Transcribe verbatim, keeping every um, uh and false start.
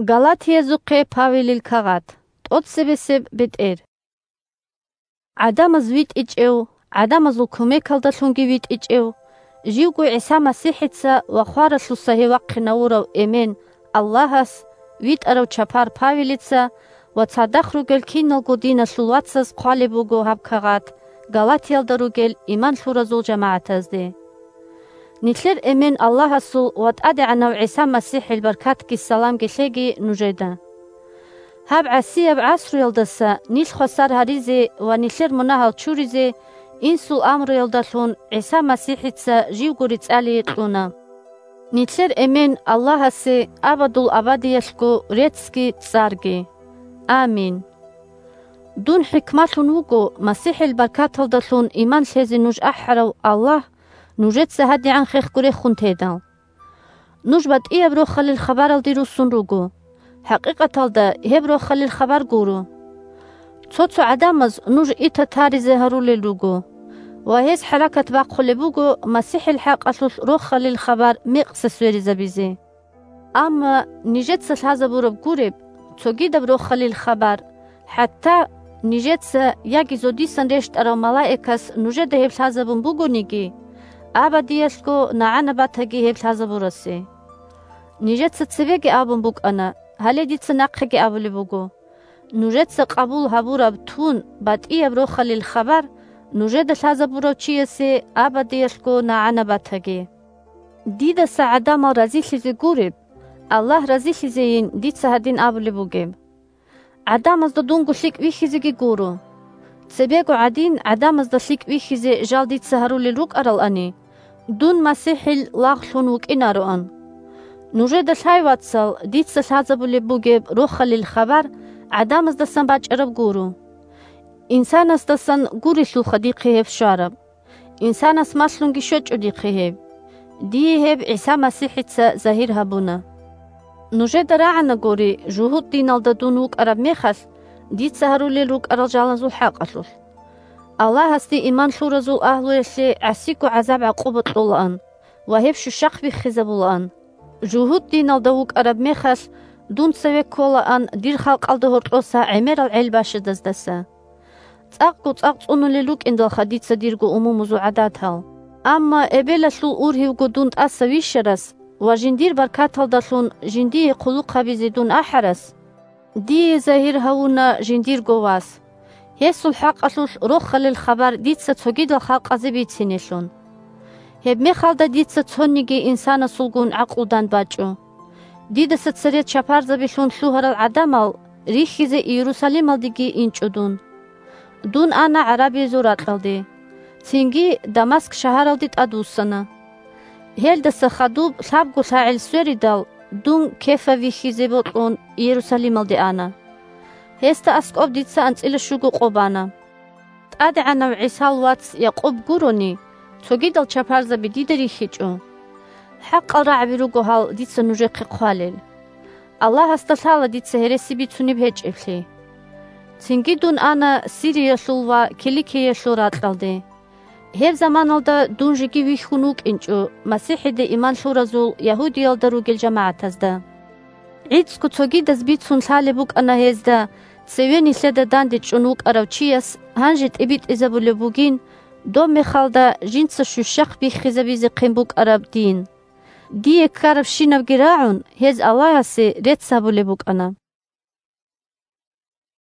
Галатиязухъе Павелил кагъат. ТӀоцебесеб бетӀер. ГӀадамаз витӀичӀев, гӀадамазул кумекалдалъунги витӀичӀев, живго ГӀиса МасихӀица ва хваралъуса гьев вахъинавурав Эмен Аллагьас, витӀарав чапар Павелица ва цадахъ ругел киналго диналъул вацаз хъвалеб буго гьаб кагъат Галатиялда ругел иман лъуразул жамагӀатазде. Нилъер Эмен Аллагьасул ва ТӀадегӀанав ГӀиса МасихӀил баркатги саламги лъеги нужеда. Гьаб гӀасияб гӀасруялдаса нилъ хвасар гьаризе ва нилъер мунагьал чуризе инсул амруялдалъун ГӀиса МасихӀица живго рецӀалие кьуна. Нилъер Эмен Аллагьасе абадул абадиялъго реццги цӀарги. Амин. Дун хӀикмалъун вуго, МасихӀил баркаталдалъун иман лъезе нуж ахӀарав Аллагь нужеца гьадигӀан хехго рехун тедал. Нуж батӀияб Рохалил хабаралде руссун руго. ХӀакъикъаталда гьеб Рохалил хабар гуро. Цо-цо гӀадамаз нуж ита таризе гьарулел руго, ва гьез хӀаракат бахъулеб буго МасихӀил хӀакъалъулъ Рохалил хабар мекъса сверизабизе. Амма нижеца лъазабураб гуреб, цогидаб Рохалил хабар, хӀатта нижеца яги зодисан рещтӀарав малаикас нужеда гьеб лъазабун бугониги, абадиялъго нагӀана батаги гьеб лъазабурасе. Нижеца цебеги абун букӀана, гьале дица нахъеги абулеб буго: нужеца къабул гьабураб тун батӀияб Рохалил хабар нужеда лъазабурав чиясе абадиялъго нагӀана батаги. Дидаса гӀадамал разилъизе гуреб, Аллагь разилъизейин дица гьадин абулеб бугеб. ГӀадамазда дунго лъикӀ бихьизеги гуро. Цебего гӀадин гӀадамазда лъикӀ бихьизе жал дица гьарулел рукӀаралани, дун МасихӀил лагълъун вукӀинароан. Нужеда лъай, вацал, дица лъазабулеб бугеб Рохалил хабар гӀадамаздасан бачӀараб гуро. Инсанасдасан гурелъулха дихъе гьеб щвараб. Инсанас малъунги щвечӀо дихъе гьеб. Дие гьеб ГӀиса МасихӀица загьир гьабуна. Нужеда рагӀанагури, жугьутӀ диналда дун вукӀараб мехалъ, дица гьарулел рукӀарал жалазул хӀакъалъулъ. Аллагьасде иман лъуразул агьлуялъе гӀасиго гӀазаб-гӀакъуба кьолаан ва гьеб щущахъ биххизабулаан. ЖугьутӀ диналда вукӀараб мехалъ, дун цеве кколаан дир халкъалда гьоркьоса гӀемерал гӀел бащадаздаса. ЦӀакъго цӀакъ цӀунулел рукӀиндалха дица дирго умумузул гӀадатал. Амма эбелалъул ургьивго дун тӀаса вищарас ва жиндир баркаталдалъун жиндие хъулухъ гьабизе дун ахӀарас, дие загьир гьавуна жиндирго вас. Гьесул хӀакъалъулъ Рохалил хабар дица цогидал халкъазе бицинелъун. Гьебмехалда дица цониги инсанасулгун гӀакълудан бачӀо. Дидаса цере чапарзабилъун лъугьарал гӀадамал рихьизе Иерусалималдеги инчӀо дун. Дун ана гӀарабиязул ракьалде, цинги Дамаск шагьаралде тӀадвуссана. Гьелдаса хадуб лъабго лъагӀел сверидал, дун Кефа вихьизе бокьун Иерусалималде ана. Гьесда аскӀоб дица анцӀила щуго къо бана. ТӀадегӀанав ГӀисал вац Якъуб гурони, цогидал чапарзаби дида рихьичӀо. ХӀакъал рагӀаби руго гьал дица нужехъе хъвалел. Аллагьасда лъала дица гьереси бицунеб гьечӀеблъи. Цинги дун ана Сириялъул ва Киликиялъул ракьалде. Гьеб заманалда дун жеги вихьун вукӀинчӀо МасихӀиде иман лъуразул Ягьудиялда ругел жамагӀатазда. ГӀицӀго цогидаз бицун лъалеб букӀана гьезда, цеве нилъеда дандечӀун вукӀарав чияс гьанже тӀибитӀизабулеб бугин, доб мехалда жинца щущахъ биххизабизехъин букӀараб дин. Дие ккарабщинабги рагӀун, гьез Аллагьасе рецц гьабулеб букӀана.